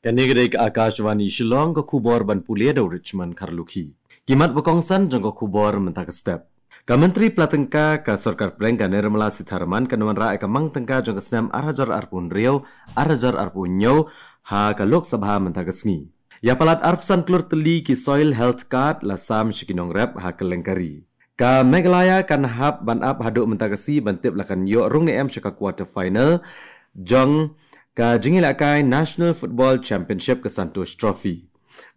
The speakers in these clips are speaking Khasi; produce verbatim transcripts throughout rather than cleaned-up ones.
Kane ka dei ka Akashvani Shillong, ka khubor ban pule da u Richmond Kharlukhi. Ki mat ba kongsan jong ka khubor mynta ka step. Ka Myntri Pla Tyngka ka Sorkar Pdeng ka Nirmala Sitharaman kan wanrah ïa ka mang tyngka jong ka snem ar hajar arphew hynriew, ar hajar arphew hynñiew ha ka Lok Sabha mynta ka sngi. Ïa palat arphew san klur tylli ki Soil Health Card la sam sha ki nongrep ha kylleng ka ri. Ka Meghalaya kan hap ban ap haduh mynta ka sngi ban tip la kan ïoh rung ne em sha ka quarter final jong ka jingïalehkai National Football Championship ka Santosh Trophy.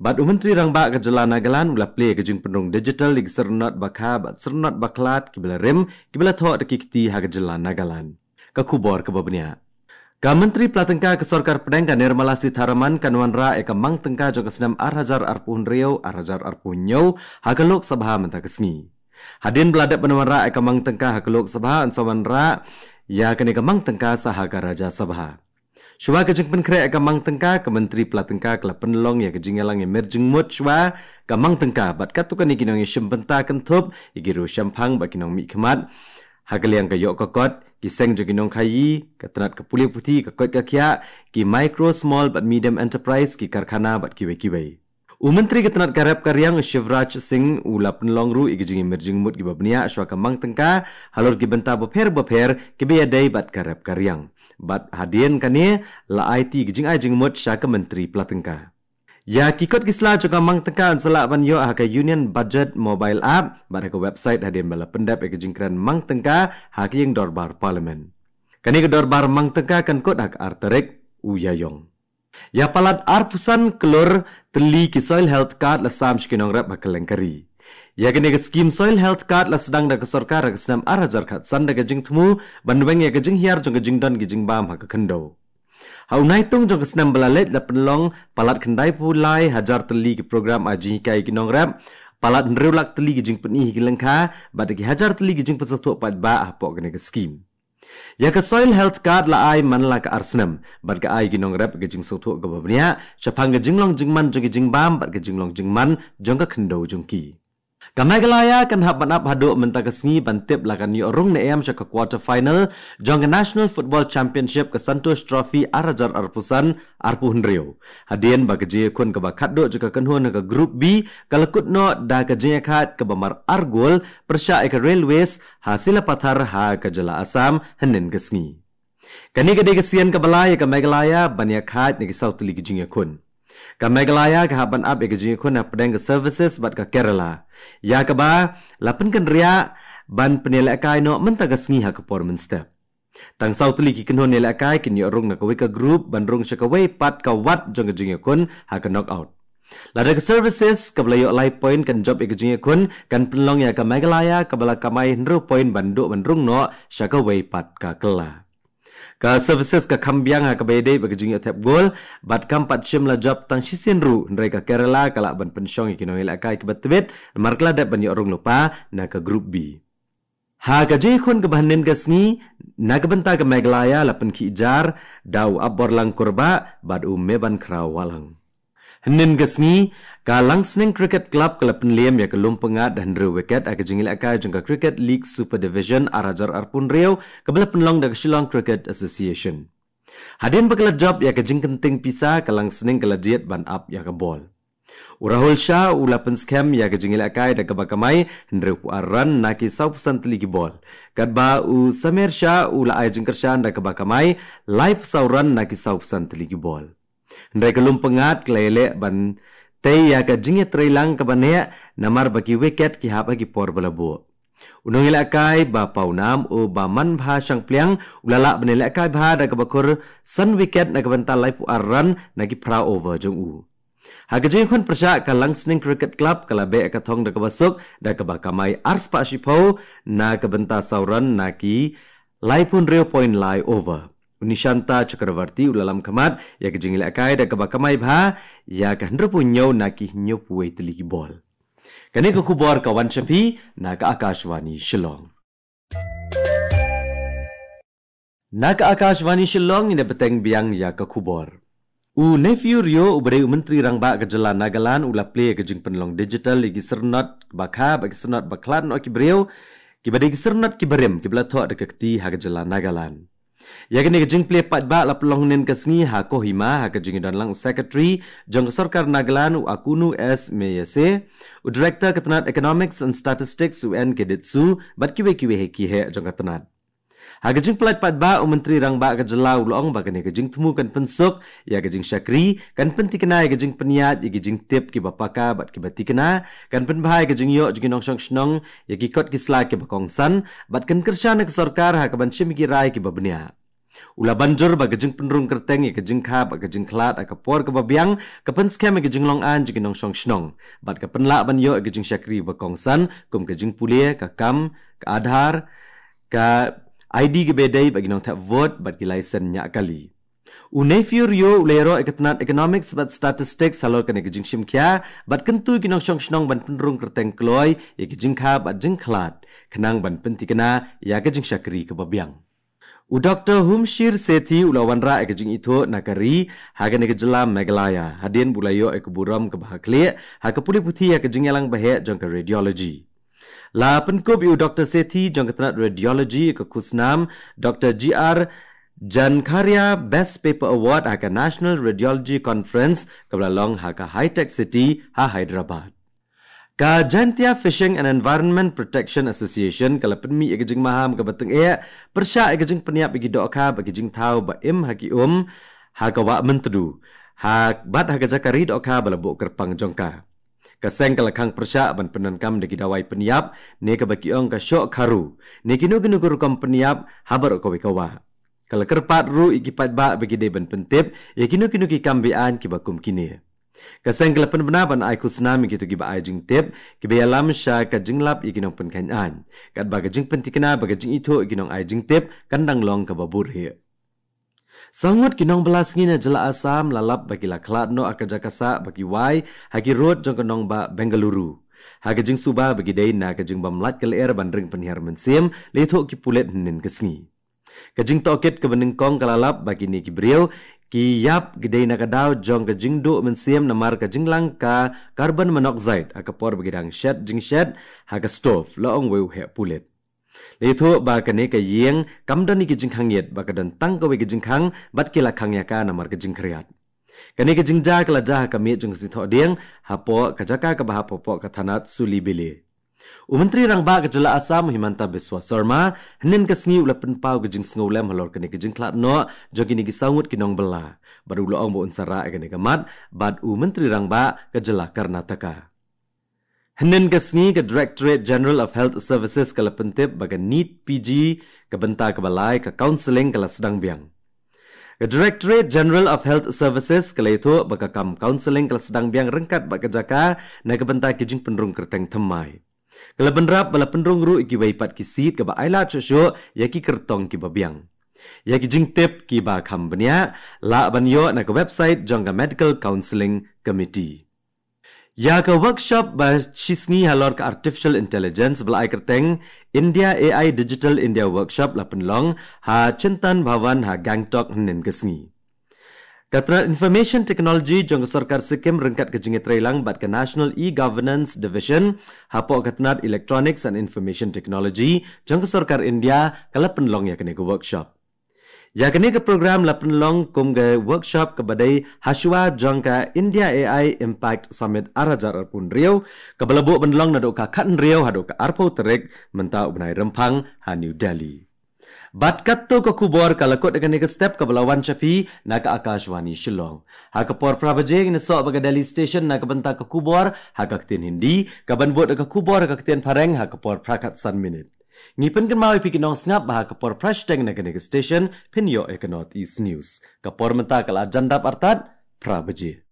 Bad u Myntri Rangbah ka jylla Nagaland u la plie ka jingpynrung digital ïa ki syrnod ba kha bad syrnod ba khlad kiba la rim, kiba la thoh da ki kti ha ka jylla Nagaland. Ka khubor kaba bniah. Ka Myntri Pla Tyngka ka Sorkar Pdeng ka Nirmala Sitharaman kan wanrah ïa ka mang tyngka jong ka snem ar hajar arphew hynriew, ar hajar arphew hynñiew ha ka Lok Sabha mynta ka sngi. Hadien ba la dep ban wanrah ïa ka mang tyngka ha ka Lok Sabha, yn sa wanrah ïa kane ka mang tyngka sa ha ka Rajya Sabha. Shuwa ka jingpynkhreh ïa ka mang tyngka, ka Myntri Pla Tyngka ka la pynlong ïa ka jingïalang ïa mir jingmut shuwa ka mang tyngka bad katto katne ki nongïashim bynta kynthup ïa ki riewshemphang bad ki nongmihkhmat ha ka liang ka ïoh ka kot, ki seng jong ki nongkhaïi, ka tnat ka pule puthi, ka koit ka khiah, ki micro, small bad medium enterprise, ki karkhana bad kiwei kiwei. U Myntri ka tnat ka rep ka riang u Shivraj Singh u la pynlong ruh ïa ki jingïamir jingmut kiba bniah shuwa ka mang tyngka halor ki bynta bapher bapher kiba ïadei bad ka rep ka riang. Bad hadien kane la aiti ki jingai jingmut sha ka Myntri Pla Tyngka. Ïa ki kot ki sla jong ka mang tyngka yn sa lah ban ïoh ha ka Union Budget mobile app bad ha ka website hadien ba la pyndep ïa ka jingkren mang tyngka ha ka ïing dorbar Parliament. Kane ka dorbar mang tyngka kan kut ha ka ar tarik u Ïaïong. Ïa palat arphew san klur tylli ki Soil Health Card la sam sha ki nongrep ha kylleng ka ri. Ïa kane ka skim Soil Health Card la sdang da ka sorkar ha ka snem ar hajar khatsan da ka jingthmu ban weng ïa ka jinghiar jong ka jingdon ki jingbam ha ka khyndew. Ha u Naitung jong ka snem ba la leit la pynlong palat khyndaiphew lai hajar tylli ki program ai jinghikai ki nongrep, palat hynriew lak tylli ki jingpyni ha ki lyngkha bad ki hajar tylli ki jingpynsngewthuh paidbah hapoh kane ka skim. Ïa ka Soil Health Card la ai man la ka ar snem bad ka ai ki nongrep ka jingsngewthuh kaba bniah shaphang ka jinglong jingman jong ki jingbam bad ka jinglong jingman jong ka khyndew jong ki. Ka Meghalaya kan hap ban ap haduh mynta ka sngi ban tip la kan ïoh rung ne em sha ka quarter final jong ka National Football Championship ka Santosh Trophy ar hajar arphew san, arphew hynriew. Hadien ba ka jingïakhun kaba khatduh jong ka kynhun ha ka Group B ka la kut noh da ka jingïakhaid kaba mar ar gol pyrshah ïa ka Railways ha Silapathar ha ka jylla Assam hynnin ka sngi. Kane ka dei ka sien kaba lai ïa ka Meghalaya ban ïakhaid na ki saw tylli ki jingïakhun. Ka Meghalaya ka hap ban ap ïa ka jingïakhun hapdeng ka Services bad ka Kerala. Ïa kaba la pynkynriah ban pynïalehkai noh mynta ka sngi ha ka por mynstep. Tang saw tylli ki kynhun ïalehkai kin ïoh rung na kawei ka group ban rung sha kawei pat ka wat jong ka jingïakhun ha ka knockout. Lada ka Services kaba la ïoh lai point kan jop ïa ka jingïakhun, kan pynlong ïa ka Meghalaya kaba la kamai hynriew point ban duh ban rung noh sha kawei pat ka kylla. Ka Services ka kham biang ha kaba ïadei bad ka jingïoh thep gol bad kam pat shym la jop tang shisien ruh, hynrei ka Kerala ka lah ban pynshong ïa ki nongïalehkai kiba tbit namar ka la dep ban ïoh rung lypa na ka Group B. Ha ka jingïakhun kaba hynnin ka sngi na ka bynta ka Meghalaya la pynkhih jar da u Apborlang Kurbah bad u Mebankhraw Wahlang. Hynnin ka sngi, ka Langsning Cricket Club ka la pynliem ïa ka Lumpyngngad da hynriew wicket ha ka jingïalehkai jong ka Cricket League Super Division ar hajar arphew hynriew kaba la pynlong da ka Shillong Cricket Association. Hadien ba ka la jop ïa ka jingkynting pisa, ka Langsning ka la jied ban ap ïa ka bol. U Rahul Shah u la pynskhem ïa ka jingïalehkai da kaba kamai hynriewphew ar run na ki sawphew san tylli ki bol. Katba u Sameer Shah u la ai jingkyrshan da kaba kamai laiphew saw run na ki sawphew san tylli ki bol. Hynrei ka Lumpyngngad ka la ïaleh ban tei ïa ka jingïatreilang kaba neh namar ba ki wicket ki hap ha ki por ba la buh. U nongïalehkai ba pawnam u Bamanbha Shangpliang u la lah ban ïalehkai bha da kaba khur san wicket na ka bynta laiphew ar run na ki phra over jong u. Ha ka jingïakhun pyrshah, ka Langsning Cricket Club ka la beh ka thong da kaba suk da kaba kamai arspah shiphew na ka bynta saw run na ki laiphew hynriew point lai over. U Nishanta Chakravarti u la lam khmat ïa ka jingïalehkai da kaba kamai bha ïa ka hynriewphew hynñiew na ki hynñiewphew tylli ki bol. Kane ka khubor ka wan sha phi na ka Akashvani Shillong. Na ka Akashvani Shillong ngin ïa bteng biang ïa ka khubor. U Neiphiu Rio uba dei u Myntri Rangbah ka jylla Nagaland u la plie ïa ka jingpynlong digital ïa ki syrnod ba kha bad ki syrnod ba khlad noh ki briew, kiba dei ki syrnod kiba rim kiba la thoh da ka kti ha ka jylla Nagaland. Ïa kane ka jingplie paidbah la pynlong hynnin ka sngi ha Kohima ha ka jingdon lang u Secretary jong ka Sorkar Nagaland u Akunu S Meyase, u Director ka tnat Economics and Statistics u N K Ditsu bad kiwei kiwei ha ki heh jong ka tnat. Ha ka jingplie paidbah u Myntri Rangbah ka jylla u la ong ba kane ka jingthmu kan pynsuk ïa ka jingshakri, kan pynthikna ïa ka jingpynïaid ïa ka jingtip kiba paka bad kiba thikna, kan pynbha ïa ka jingïoh jong ki nongshong shnong ïa ki kot ki sla kiba kongsan, bad kan kyrshan ïa ka sorkar ha kaban shim ïa ki rai kiba bniah. U la ban jur ba ka jingpynrung kyrteng ïa ka jingkha bad ka jingkhlad ha ka por kaba biang ka pynskhem ïa ka jinglong aiñ jong ki nongshong shnong bad ka pynlah ban ïoh ïa ka jingshakri ba kongsan kum ka jingpule, ka kam, ka Aadhaar, ka I D kiba dei bad ki nongthep vote bad ki license ñiah kali. U Neiphiu Rio u la ïaroh ïa ka tnat Economics bad Statistics halor kane ka jingshim khia bad kyntu ïa ki nongshong shnong ban pynrung kyrteng kloi ïa ka jingkha bad jingkhlad khnang ban pynthikna ïa ka jingshakri kaba biang. U Doktor Humshir Sethi u la wanrah ïa ka jingithuh na ka ri ha kane ka jylla Meghalaya hadien ba u la ïoh ïa ka burom kaba ha khlieh ha ka pule puthi ha ka jingïalang baheh jong ka radiology. La pynkup ïa u Doktor Sethi jong ka tnat radiology ïa ka khusnam Doktor G R Jankharia Best Paper Award ha ka National Radiology Conference kaba la long ha ka Hi-Tech City ha Hyderabad. Ka Jaintia Fishing and Environment Protection Association ka la pynmih ïa ka jingmaham kaba tyngeh pyrshah ïa ka jingpynïap ïa ki dohkha bad ki jingthaw ba im ha ki um ha ka Wah Myntdu, ha bad ha ka jaka ri dohkha ba la buh kyrpang jong ka. Ka seng ka la khang pyrshah ban pyndonkam da ki dawai pynïap ne kaba ki ong ka shoh kharu ne kino kino ki rukom pynïap ha baroh kawei ka wah. Ka la kyrpad ruh ïa ki paidbah ba ki dei ban pyntip ïa kino kino ki kam be-aiñ kiba kum kine. Ka seng ka la pynbna ban ai khusnam ïa kito kiba ai jingtip kiba ïalam sha ka jinglap ïa ki nongpynkheiñ aiñ, katba ka jingpynthikna bad ka jingithuh ïa ki nongai jingtip kan dang long kaba buhrieh. Saw ngut ki nongbylla sngi na jylla Assam la lap ba ki la khlad noh ha ka jaka sah ba ki wai ha ki rud jong ka nongbah Bengaluru, ha ka jingsuba ba ki dei na ka jingbym lait ka lyer ban ring pynhiar mynsiem, la ïathuh ki pulit hynnin ka sngi. Ka jingtohkit kaba nyngkong ka la lap ba kine ki briew ki ïap ki dei na ka daw jong ka jingduh mynsiem namar ka jinglang ka carbon monoxide ha ka por ba ki dang shet jingshet ha ka stove, la ong uwei u heh pulit. La ïathuh ba kane ka ïing kam don ïa ki jingkhang ïit bad ka don tang kawei ka jingkhang bad ki la khang ïa ka namar ka jingkhriat. Kane ka jingjia ka la jia ha ka miet jong ka sngi Thohdieng hapoh ka jaka kaba hap hapoh ka thanat Sulibele. U Myntri Rangbah ka jylla Assam u Himanta Biswa Sarma hynnin ka sngi u la pynpaw ka jingsngewlem halor kane ka jingkhlad noh jong kine ki saw ngut ki nongbylla bad u la ong ba un sa rah ïa kane ka mat bad u Myntri Rangbah ka jylla Karnataka. Hynnin ka sngi ka Directorate General of Health Services ka la pyntip ba ka NEET P G ka bynta kaba lai ka counselling ka la sdang biang. Ka Directorate General of Health Services ka la ïathuh ba ka kam counselling ka la sdang biang ryngkat bad ka jaka na ka bynta ki jingpynrung kyrteng thymmai. Ka la bynrap ba la pynrung ruh ïa kiwei pat ki seat kaba ailad shuh shuh ïa ki kyrtong kiba biang. Ïa ki jingtip kiba kham bniah lah ban ïoh na ka website jong ka Medical Counselling Committee. Ïa ka workshop ba shisngi halor ka Artificial Intelligence ba la ai kyrteng India A I Digital India Workshop la pynlong ha Chintan Bhawan ha Gangtok hynnin ka sngi. Ka tnat Information Technology jong ka Sorkar Sikkim ryngkat ka jingïatreilang bad ka National E-Governance Division hapoh ka tnat Electronics and Information Technology jong ka Sorkar India ka la pynlong ïa kane ka workshop. Ïa kane ka program la pynlong kum ka workshop kaba dei hashwa jong ka India A I Impact Summit ar hajar arphew hynriew, kaba la buh ban long naduh ka khathynriew haduh ka arphew tarik mynta u bnai Rymphang ha New Delhi. Bad katto ka khubor ka la kut ïa kane ka step kaba la wan sha phi na ka Akashvani Shillong. Ha ka por phra baje ngin ïasoh bad ka Delhi Station na ka bynta ka khubor ha ka ktien Hindi, kaban bud ïa ka khubor ha ka ktien Phareng ha ka por phra khatsan minit. Ngi pynkynmaw ïa phi ki nongsngap ba ha ka por phra shiteng na kane ka station phin ïoh ïa ka North East News. Ka por mynta ka la jan dap artat phra baje.